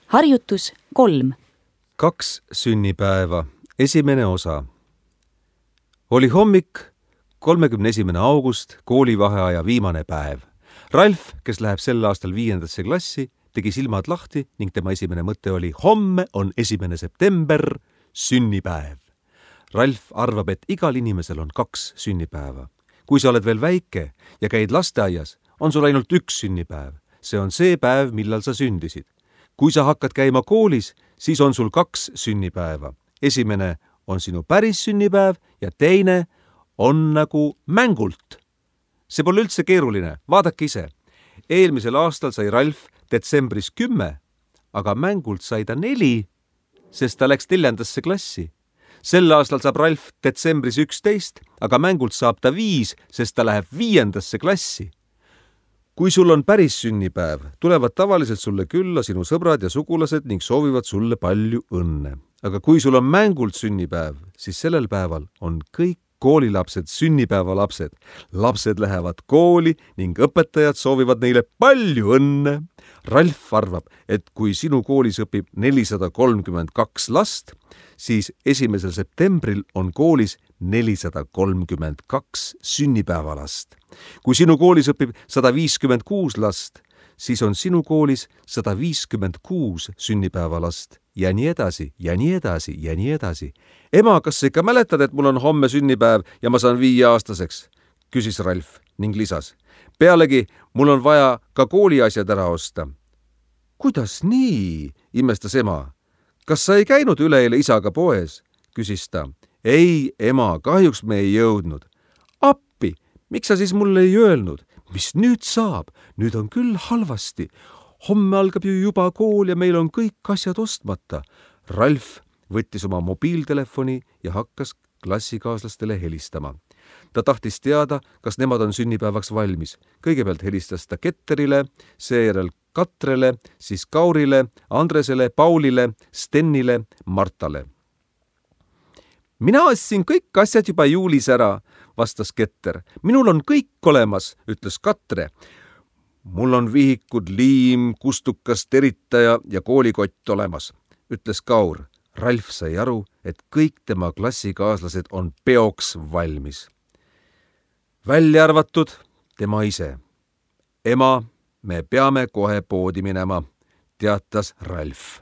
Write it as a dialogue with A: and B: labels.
A: Harjutus 3.
B: 2 sünnipäeva, esimene osa. Oli hommik, 31. august, koolivaheaja viimane päev. Ralf, kes läheb sel aastal 5. klassi, tegi silmad lahti ning tema esimene mõte oli: homme on 1. september, sünnipäev. Ralf arvab, et igal inimesel on 2 sünnipäeva. Kui sa oled veel väike ja käid lasteaias, on sul ainult 1 sünnipäev. See on see päev, millal sa sündisid. Kui sa hakkad käima koolis, siis on sul 2 sünnipäeva. Esimene on sinu päris sünnipäev ja teine on nagu mängult. See pole üldse keeruline, vaadake ise. Eelmisel aastal sai Ralf detsembris 10, aga mängult sai ta 4, sest ta läks 4. klassi. Sel aastal saab Ralf detsembris 11, aga mängult saab ta 5, sest ta läheb 5. klassi. Kui sul on päris sünnipäev, tulevad tavaliselt sulle külla sinu sõbrad ja sugulased ning soovivad sulle palju õnne. Aga kui sul on mängult sünnipäev, siis sellel päeval on kõik koolilapsed sünnipäevalapsed. Lapsed lähevad kooli ning õpetajad soovivad neile palju õnne. Ralf arvab, et kui sinu koolis õpib 432 last, siis 1. septembril on koolis 432 sünnipäevalast. Kui sinu koolis õpib 156 last, siis on sinu koolis 156 sünnipäevalast ja nii edasi, ja nii edasi, ja nii edasi. Ema, kas sa ikka mäletad, et mul on homme sünnipäev ja ma saan 5-aastaseks? Küsis Ralf ning lisas. Pealegi, mul on vaja ka kooliasjad ära osta. Kuidas nii? Imestas ema. Kas sa ei käinud üleeile isaga poes? Küsis ta. Ei, ema, kahjuks me ei jõudnud. Appi, miks sa siis mulle ei öelnud? Mis nüüd saab? Nüüd on küll halvasti. Homme algab ju juba kool ja meil on kõik asjad ostmata. Ralf võttis oma mobiiltelefoni ja hakkas klassikaaslastele helistama. Ta tahtis teada, kas nemad on sünnipäevaks valmis. Kõigepealt helistas ta Ketterile, seejärel Katrele, siis Kaurile, Andresele, Paulile, Stennile, Martale. Mina ostsin kõik asjad juba juulis ära, vastas Ketter. Minul on kõik olemas, ütles Katre. Mul on vihikud, liim, kustukas, teritaja ja koolikott olemas, ütles Kaur. Ralf sai aru, et kõik tema klassikaaslased on peoks valmis. Välja arvatud tema ise. Ema, me peame kohe poodi minema, teatas Ralf.